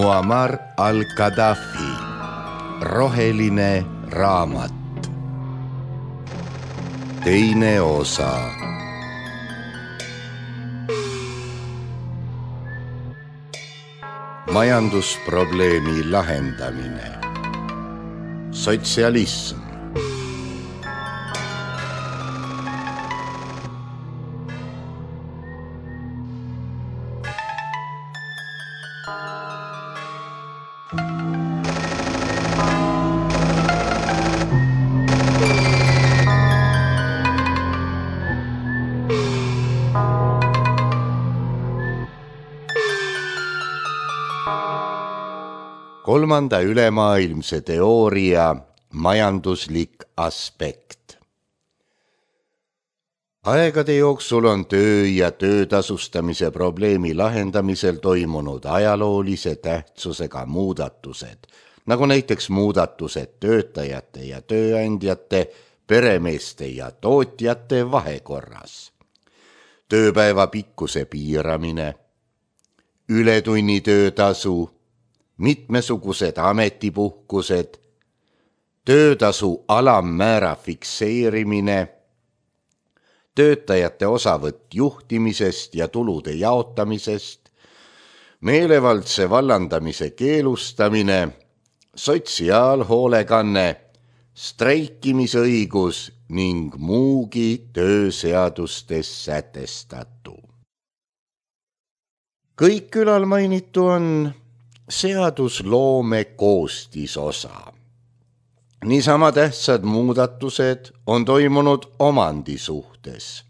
Muammar al-Gaddafi, roheline raamat. Teine osa. Majandusprobleemi lahendamine. Sotsialism. Kolmanda ülemaailmse teooria majanduslik aspekt. Aegade jooksul on töö ja töötasustamise probleemi lahendamisel toimunud ajaloolise tähtsusega muudatused, nagu näiteks muudatused töötajate ja tööandjate, peremeeste ja tootjate vahekorras, tööpäeva pikkuse piiramine, ületunnitöötasu, mitmesugused ametipuhkused, töötasu alammäära fikseerimine, töötajate osavõtt juhtimisest ja tulude jaotamisest, meelevaldse vallandamise keelustamine, sotsiaalhoolekanne, streikimisõigus ning muugi tööseadustes sätestatu. Kõik ülalmainitu on seadusloome koostisosa. Niisama tähtsad muudatused on toimunud omandi suhtes.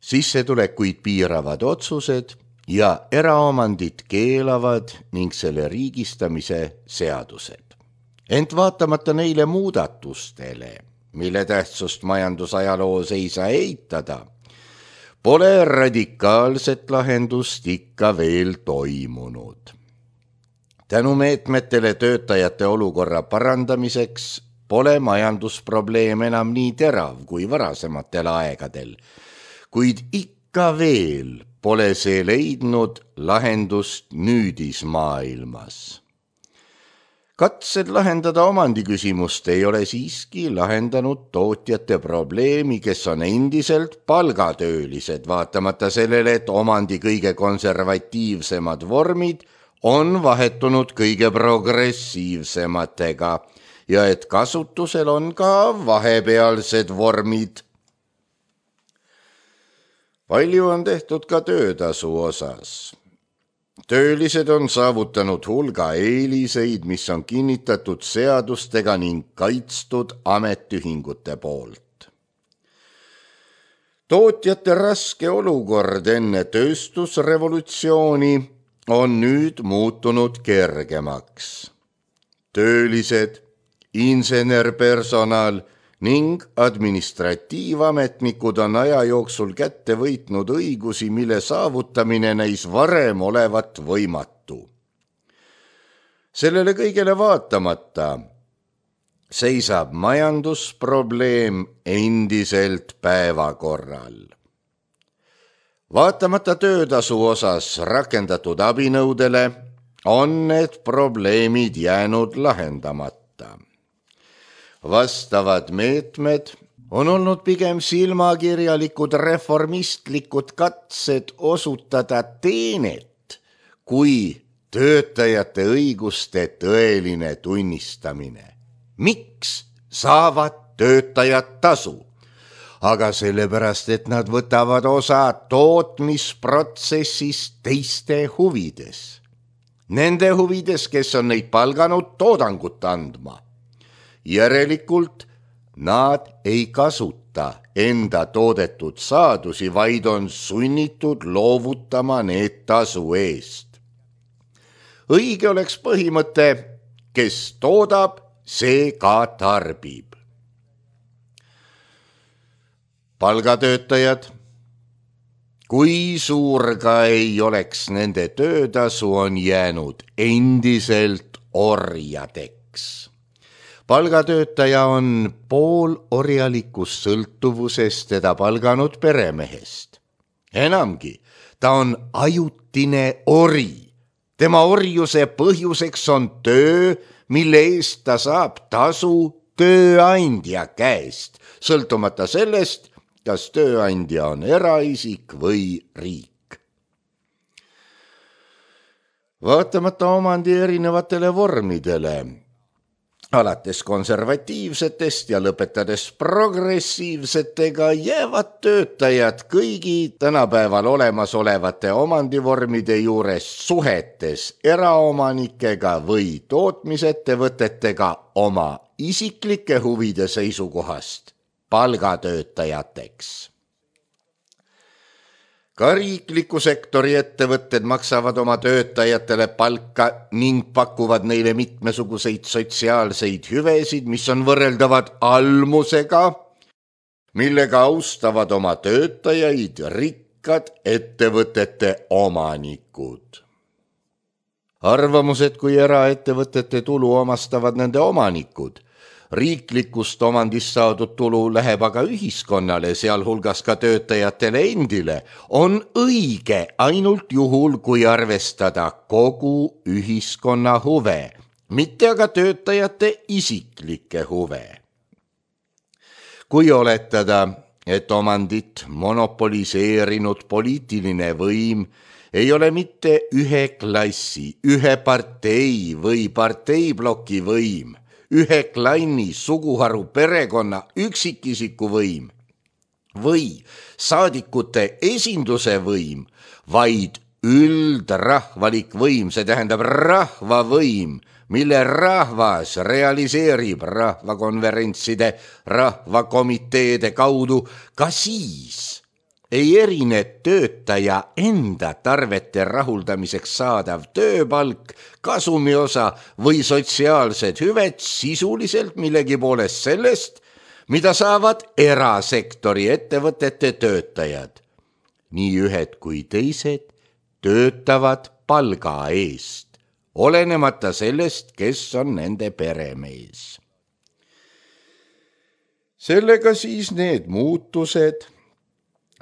Sissetulekuid piiravad otsused ja eraomandit keelavad ning selle riigistamise seadused. Ent vaatamata neile muudatustele, mille tähtsust majandusajaloos ei saa eitada, pole radikaalset lahendust ikka veel toimunud. Tänu meetmetele töötajate olukorra parandamiseks pole majandusprobleem enam nii terav kui varasematel aegadel, kuid ikka veel pole see leidnud lahendust nüüdismaailmas. Katsed lahendada omandiküsimust ei ole siiski lahendanud tootjate probleemi, kes on endiselt palgatöölised, vaatamata sellele, et omandi kõige konservatiivsemad vormid on vahetunud kõige progressiivsematega ja et kasutusel on ka vahepealsed vormid. Palju on tehtud ka töötasu osas. Töölised on saavutanud hulga eeliseid, mis on kinnitatud seadustega ning kaitstud ametiühingute poolt. Tootjate raske olukord enne tööstusrevolutsiooni on nüüd muutunud kergemaks. Töölised, insenerpersonal ning administratiivametnikud on aja jooksul kätte võitnud õigusi, mille saavutamine näis varem olevat võimatu. Sellele kõigele vaatamata seisab majandusprobleem endiselt päevakorral. Vaatamata töötasu osas rakendatud abinõudele on need probleemid jäänud lahendamata. Vastavad meetmed on olnud pigem silmakirjalikud reformistlikud katsed osutada teenet kui töötajate õiguste tõeline tunnistamine. Miks saavad töötajad tasu? Aga sellepärast, et nad võtavad osa tootmisprotsessist teiste huvides. Nende huvides, kes on neid palganud toodangut andma. Järelikult nad ei kasuta enda toodetud saadusi, vaid on sunnitud loovutama need tasu eest. Õige oleks põhimõte, kes toodab, see ka tarbib. Palgatöötajad, kui suur ka ei oleks nende töötasu, on jäänud endiselt orjadeks. Palgatöötaja on poolorjalikus sõltuvuses teda palganud peremehest. Enamgi, ta on ajutine ori, Tema orjuse põhjuseks on töö, mille eest ta saab tasu tööandja käest, sõltumata sellest, kas tööandja on eraisik või riik. Vaatamata omandi erinevatele vormidele, alates konservatiivsetest ja lõpetades progressiivsetega, jäävad töötajad kõigi tänapäeval olemasolevate omandivormide juures suhetes eraomanikega või tootmisettevõtetega oma isiklike huvide seisukohast palgatöötajateks. Ka riikliku sektori ettevõtted maksavad oma töötajatele palka ning pakuvad neile mitmesuguseid sotsiaalseid hüvesid, mis on võrreldavad almusega, millega austavad oma töötajaid rikkad ettevõtete omanikud. Arvamused, kui eraettevõtete tulu omastavad nende omanikud, riiklikust omandist saadud tulu läheb aga ühiskonnale, sealhulgas ka töötajatele endile, on õige ainult juhul, kui arvestada kogu ühiskonna huve, mitte aga töötajate isiklikke huve. Kui oletada, et omandit monopoliseerinud poliitiline võim ei ole mitte ühe klassi, ühe partei või parteibloki võim, ühe klanni, suguharu, perekonna, üksikisiku võim või saadikute esinduse võim, vaid üldrahvalik võim, see tähendab rahvavõim, mille rahvas realiseerib rahvakonverentside, rahvakomiteede kaudu, ka siis ei erine töötaja enda tarvete rahuldamiseks saadav tööpalk, kasumiosa või sotsiaalsed hüved sisuliselt millegi poolest sellest, mida saavad erasektori ettevõtete töötajad. Nii ühed kui teised töötavad palga eest, olenemata sellest, kes on nende peremees. Sellega siis need muutused,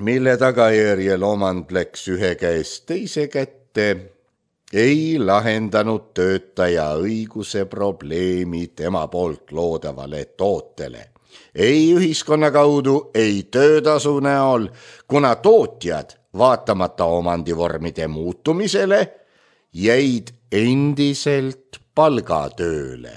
mille tagajärjel omand läks ühe käest teise kätte, ei lahendanud töötaja õiguse probleemi tema poolt loodavale tootele. Ei ühiskonna kaudu, ei töötasu näol, kuna tootjad, vaatamata omandivormide muutumisele, jäid endiselt palgatööle.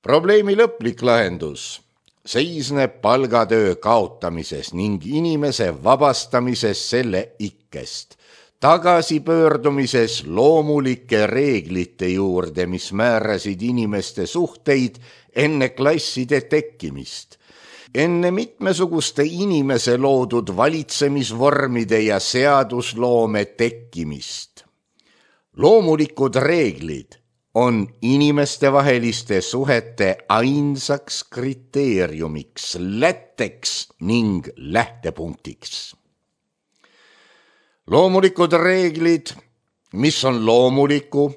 Probleemi lõplik lahendus seisneb palgatöö kaotamises ning inimese vabastamises selle ikkest, tagasipöördumises loomulike reeglite juurde, mis määrasid inimeste suhteid enne klasside tekkimist, enne mitmesuguste inimese loodud valitsemisvormide ja seadusloome tekkimist. Loomulikud reeglid on inimestevaheliste suhete ainsaks kriteeriumiks, lätteks ning lähtepunktiks. Loomulikud reeglid, mis on loomuliku,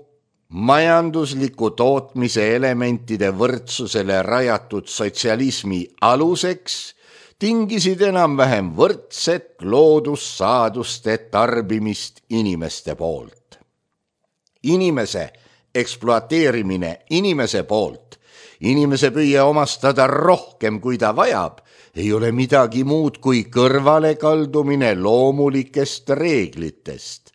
majandusliku tootmise elementide võrdsusele rajatud sotsialismi aluseks, tingisid enam-vähem võrdset loodussaaduste tarbimist inimeste poolt. Inimese ekspluateerimine inimese poolt, inimese püüe omastada rohkem, kui ta vajab, ei ole midagi muud kui kõrvalekaldumine loomulikest reeglitest.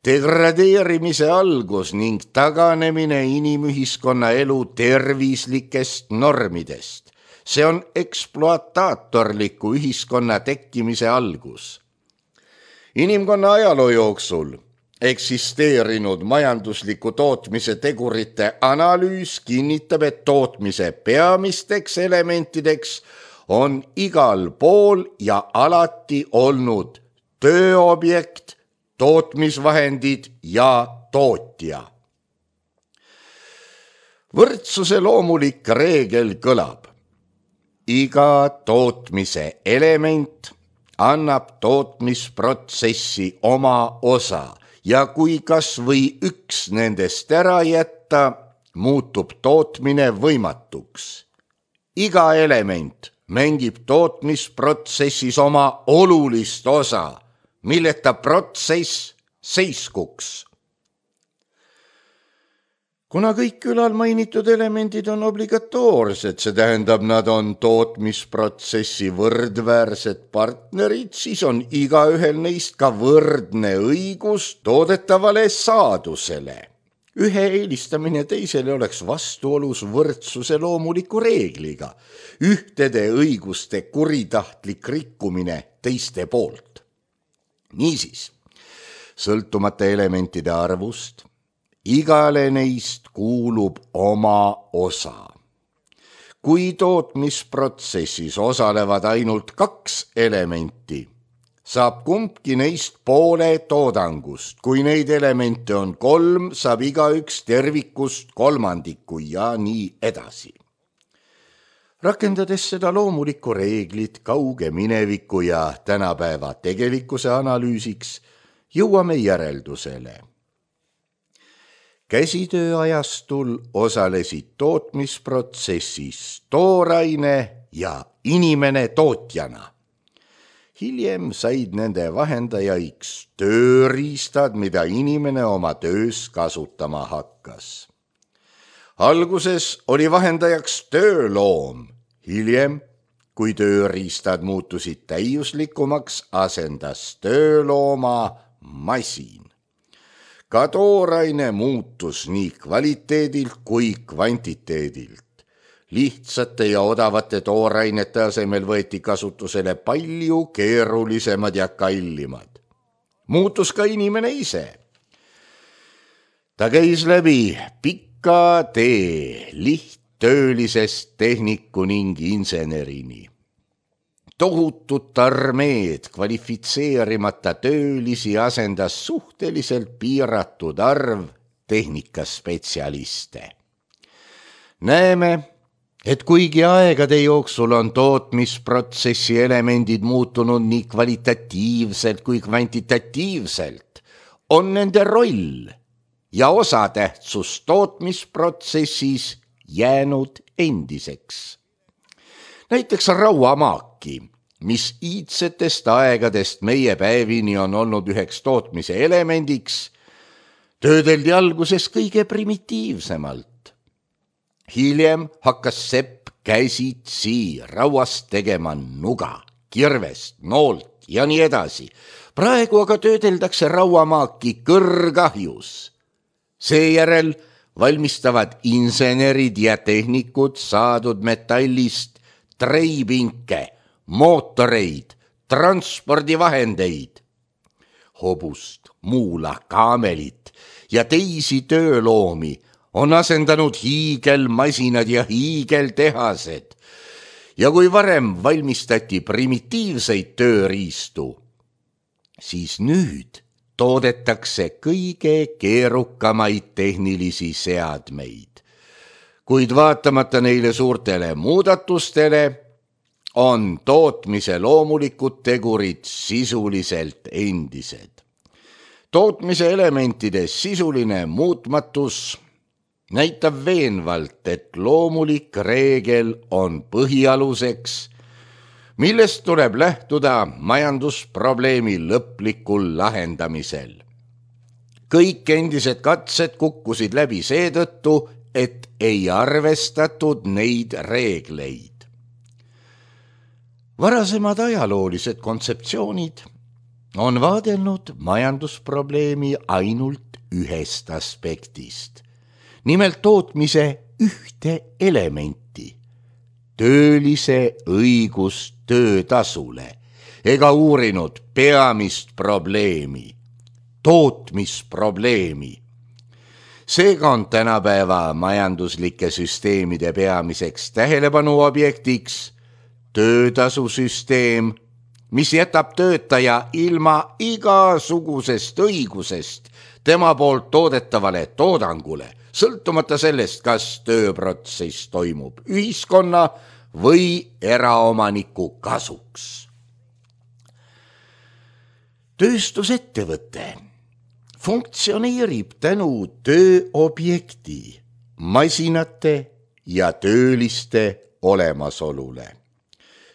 Degradeerimise algus ning taganemine inimühiskonna elu tervislikest normidest. See on ekspluataatorliku ühiskonna tekkimise algus. Inimkonna ajaloo jooksul eksisteerinud majandusliku tootmise tegurite analüüs kinnitab, et tootmise peamisteks elementideks on igal pool ja alati olnud tööobjekt, tootmisvahendid ja tootja. Võrdsuse loomulik reegel kõlab. Iga tootmise element annab tootmisprotsessi oma osa ja kui kas või üks nendest ära jätta, muutub tootmine võimatuks. Iga element mängib tootmisprotsessis oma olulist osa, milleta protsess seiskuks. Kuna kõik külal mainitud elemendid on obligatoorsed, see tähendab, nad on tootmisprotsessi võrdväärsed partnerid, siis on igaühel neist ka võrdne õigus toodetavale saadusele. Ühe eelistamine teisele oleks vastuolus võrdsuse loomuliku reegliga, ühtede õiguste kuritahtlik rikkumine teiste poolt. Niisiis, sõltumata elementide arvust, igale neist kuulub oma osa. Kui tootmisprotsessis osalevad ainult 2 elementi, saab kumbki neist poole toodangust. Kui neid elemente on 3, saab igaüks tervikust kolmandiku ja nii edasi. Rakendades seda loomulikku reeglit kauge mineviku ja tänapäeva tegelikkuse analüüsiks, jõuame järeldusele. Käsitööajastul osalesid tootmisprotsessis tooraine ja inimene tootjana. Hiljem said nende vahendajaiks tööriistad, mida inimene oma töös kasutama hakkas. Alguses oli vahendajaks tööloom, hiljem, kui tööriistad muutusid täiuslikumaks, asendas töölooma masin. Ka tooraine muutus nii kvaliteedilt kui kvantiteedilt. Lihtsate ja odavate toorainete asemel võeti kasutusele palju keerulisemad ja kallimad. Muutus ka inimene ise. Ta käis läbi pika tee lihttöölisest tehniku ning insenerini. Tohutut armeed kvalifitseerimata töölisi asendas suhteliselt piiratud arv tehnikaspetsialiste. Näeme, et kuigi aegade jooksul on tootmisprotsessi elemendid muutunud nii kvalitatiivselt kui kvantitatiivselt, on nende roll ja osatähtsus tootmisprotsessis jäänud endiseks. Näiteks rauamaaki, mis iidsetest aegadest meie päevini on olnud üheks tootmise elemendiks, töödeldi alguses kõige primitiivsemalt. Hiljem hakkas sepp käsitsi rauast tegema nuga, kirvest, noolt ja nii edasi. Praegu aga töödeldakse rauamaaki kõrgahjus. Seejärel valmistavad insenerid ja tehnikud saadud metallist treipinke, mootoreid, transpordivahendeid, hobust, muula, kaamelit ja teisi tööloomi on asendanud hiigelmasinad ja hiigeltehased. Ja kui varem valmistati primitiivseid tööriistu, siis nüüd toodetakse kõige keerukamaid tehnilisi seadmeid. Kuid vaatamata neile suurtele muudatustele on tootmise loomulikud tegurid sisuliselt endised. Tootmise elementide sisuline muutmatus näitab veenvalt, et loomulik reegel on põhialuseks, millest tuleb lähtuda majandusprobleemi lõplikul lahendamisel. Kõik endised katsed kukkusid läbi seetõttu, et ei arvestatud neid reegleid. Varasemad ajaloolised kontseptsioonid on vaadelnud majandusprobleemi ainult ühest aspektist, nimelt tootmise ühte elementi, töölise õigust töötasule, ega uurinud peamist probleemi, tootmisprobleemi. Seega on tänapäeva majanduslike süsteemide peamiseks tähelepanu objektiks töötasusüsteem, mis jätab töötaja ilma igasugusest õigusest tema poolt toodetavale toodangule, sõltumata sellest, kas tööprotsess toimub ühiskonna või eraomaniku kasuks. Tööstusettevõte funktsioneerib tänu tööobjekti, masinate ja tööliste olemasolule.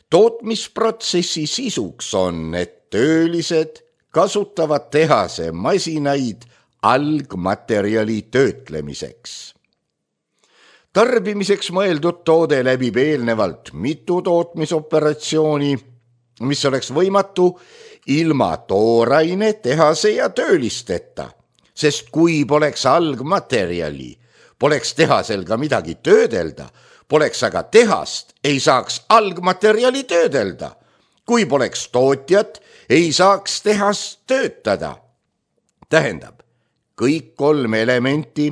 Tootmisprotsessi sisuks on, et töölised kasutavad tehase masinaid algmaterjali töötlemiseks. Tarbimiseks mõeldud toode läbib eelnevalt mitu tootmisoperatsiooni, mis oleks võimatu ilma tooraine, tehase ja töölisteta, sest kui poleks algmaterjali, poleks tehasel ka midagi töödelda, poleks aga tehast, ei saaks algmaterjali töödelda. Kui poleks tootjat, ei saaks tehast töötada. Tähendab, kõik 3 elementi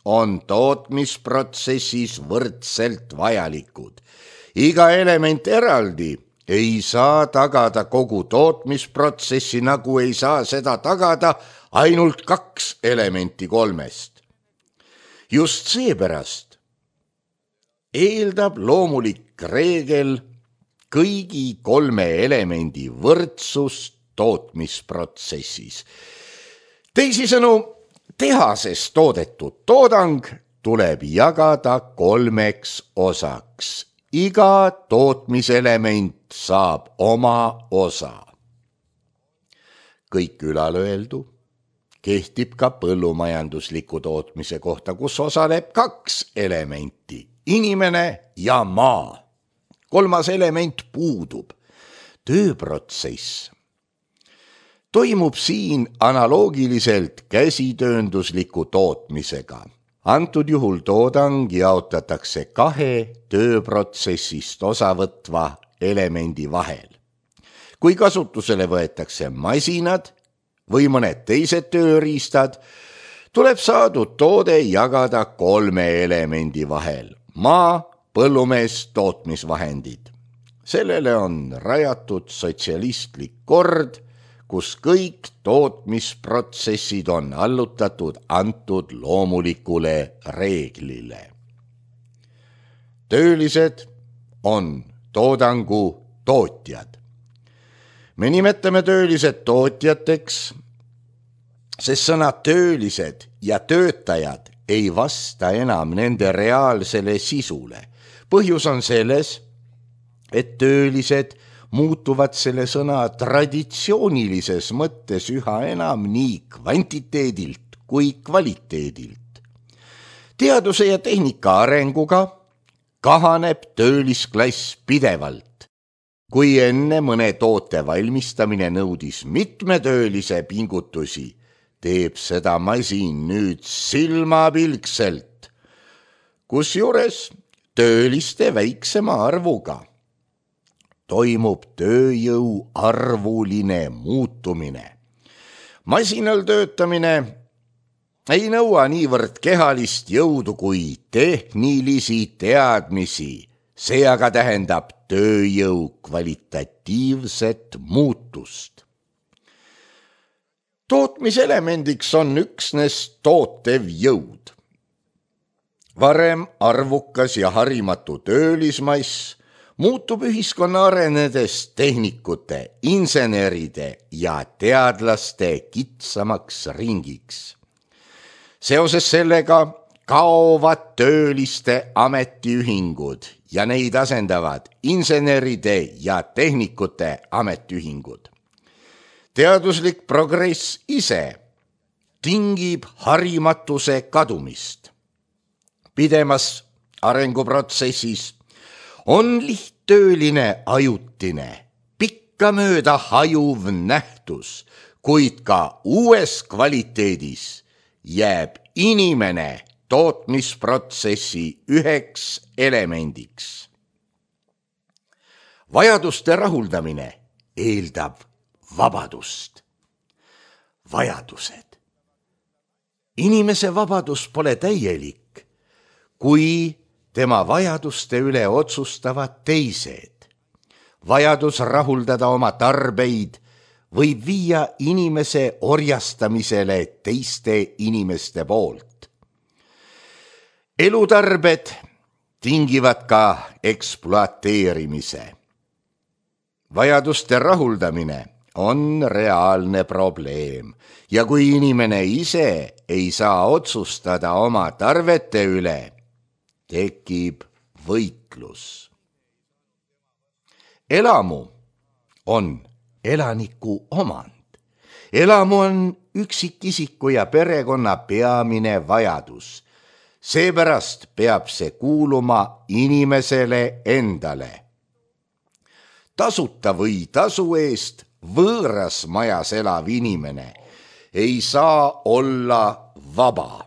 on tootmisprotsessis võrdselt vajalikud. Iga element eraldi ei saa tagada kogu tootmisprotsessi, nagu ei saa seda tagada ainult 2 elementi 3. Just seepärast eeldab loomulik reegel kõigi 3 elemendi võrdsust tootmisprotsessis. Teisisõnu, tehases toodetud toodang tuleb jagada 3 osaks. Iga tootmiselement saab oma osa. Kõik ülalöeldu kehtib ka põllumajandusliku tootmise kohta, kus osaleb 2 elementi, inimene ja maa. 3. element puudub. Tööprotsess toimub siin analoogiliselt käsitööndusliku tootmisega. Antud juhul toodang jaotatakse 2 tööprotsessist osavõtva elemendi vahel. Kui kasutusele võetakse masinad või mõned teised tööriistad, tuleb saadud toode jagada 3 elemendi vahel. Maa, põllumees, tootmisvahendid. Sellele on rajatud sotsialistlik kord, kus kõik tootmisprotsessid on allutatud antud loomulikule reeglile. Töölised on toodangu tootjad. Me nimetame töölised tootjateks, sest sõnad töölised ja töötajad ei vasta enam nende reaalsele sisule. Põhjus on selles, et töölised muutuvad selle sõna traditsioonilises mõttes üha enam nii kvantiteedilt kui kvaliteedilt. Teaduse ja tehnika arenguga kahaneb töölisklass pidevalt. Kui enne mõne toote valmistamine nõudis mitme töölise pingutusi, teeb seda masin nüüd silmapilkselt, kusjuures tööliste väiksema arvuga. Toimub tööjõu arvuline muutumine. Masinal töötamine ei nõua niivõrd kehalist jõudu kui tehnilisi teadmisi. See aga tähendab tööjõu kvalitatiivset muutust. Tootmiselemendiks on üksnes tootev jõud. Varem arvukas ja harimatu töölismass muutub ühiskonna arenedes tehnikute, inseneride ja teadlaste kitsamaks ringiks. Seoses sellega kaovad tööliste ametiühingud ja neid asendavad inseneride ja tehnikute ametiühingud. Teaduslik progress ise tingib harimatuse kadumist. Pidemas arenguprotsessis on lihttööline ajutine, pikkamööda hajuv nähtus, kuid ka uues kvaliteedis jääb inimene tootmisprotsessi üheks elemendiks. Vajaduste rahuldamine eeldab vabadust. Vajadused. Inimese vabadus pole täielik, kui tema vajaduste üle otsustavad teised. Vajadus rahuldada oma tarbeid võib viia inimese orjastamisele teiste inimeste poolt. Elutarbed tingivad ka ekspluateerimise. Vajaduste rahuldamine on reaalne probleem ja kui inimene ise ei saa otsustada oma tarvete üle, tekib võitlus. Elamu on elaniku omand. Elamu on üksikisiku ja perekonna peamine vajadus. Seepärast peab see kuuluma inimesele endale. Tasuta või tasu eest võõras majas elav inimene ei saa olla vaba.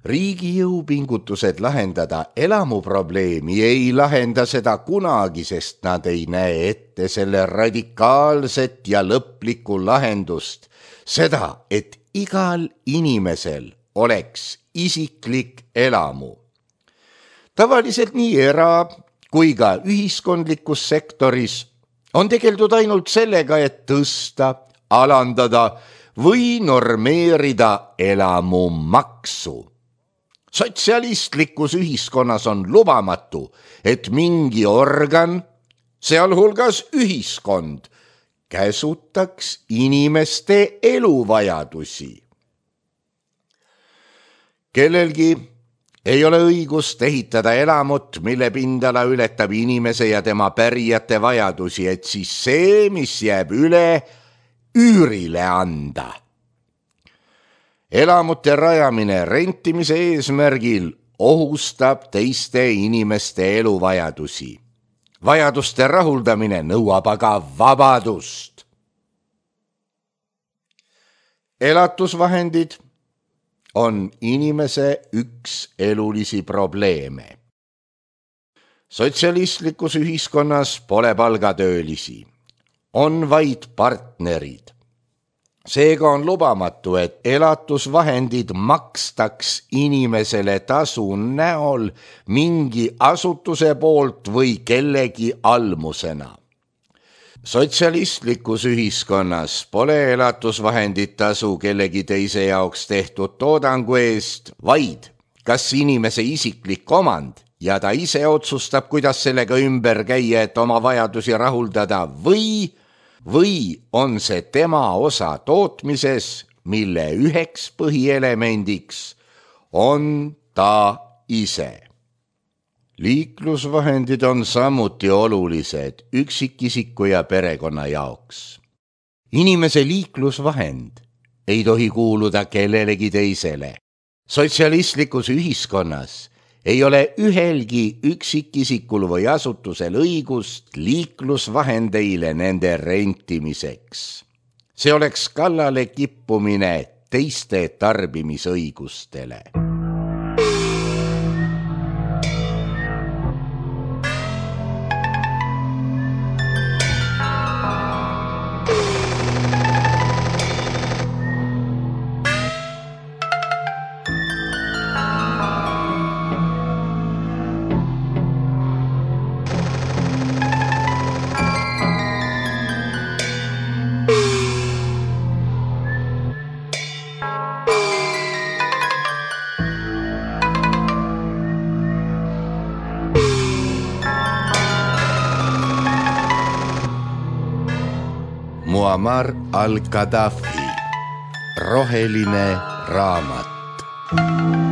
Riigi jõupingutused lahendada elamuprobleemi ei lahenda seda kunagi, sest nad ei näe ette selle radikaalset ja lõplikku lahendust. Seda, et igal inimesel oleks isiklik elamu. Tavaliselt nii era- kui ka ühiskondlikus sektoris on tegeldud ainult sellega, et tõsta, alandada või normeerida elamumaksu. Sotsialistlikus ühiskonnas on lubamatu, et mingi organ, sealhulgas ühiskond, käsutaks inimeste eluvajadusi. Kellelgi ei ole õigust ehitada elamut, mille pindala ületab inimese ja tema pärijate vajadusi, et siis see, mis jääb üle, üürile anda. Elamute rajamine rentimise eesmärgil ohustab teiste inimeste eluvajadusi. Vajaduste rahuldamine nõuab aga vabadust. Elatusvahendid on inimese üks elulisi probleeme. Sotsialistlikus ühiskonnas pole palgatöölisi, on vaid partnerid. Seega on lubamatu, et elatusvahendid makstaks inimesele tasu näol mingi asutuse poolt või kellegi almusena. Sotsialistlikus ühiskonnas pole elatusvahendid tasu kellegi teise jaoks tehtud toodangu eest, vaid kas inimese isiklik omand ja ta ise otsustab, kuidas sellega ümber käia, et oma vajadusi rahuldada või on see tema osa tootmises, mille üheks põhielemendiks on ta ise. Liiklusvahendid on samuti olulised üksikisiku ja perekonna jaoks. Inimese liiklusvahend ei tohi kuuluda kellelegi teisele. Sotsialistlikus ühiskonnas ei ole ühelgi üksikisikul või asutusel õigust liiklusvahendeile nende rentimiseks. See oleks kallale kippumine teiste tarbimisõigustele. Muammar al-Gaddafi, roheline raamat.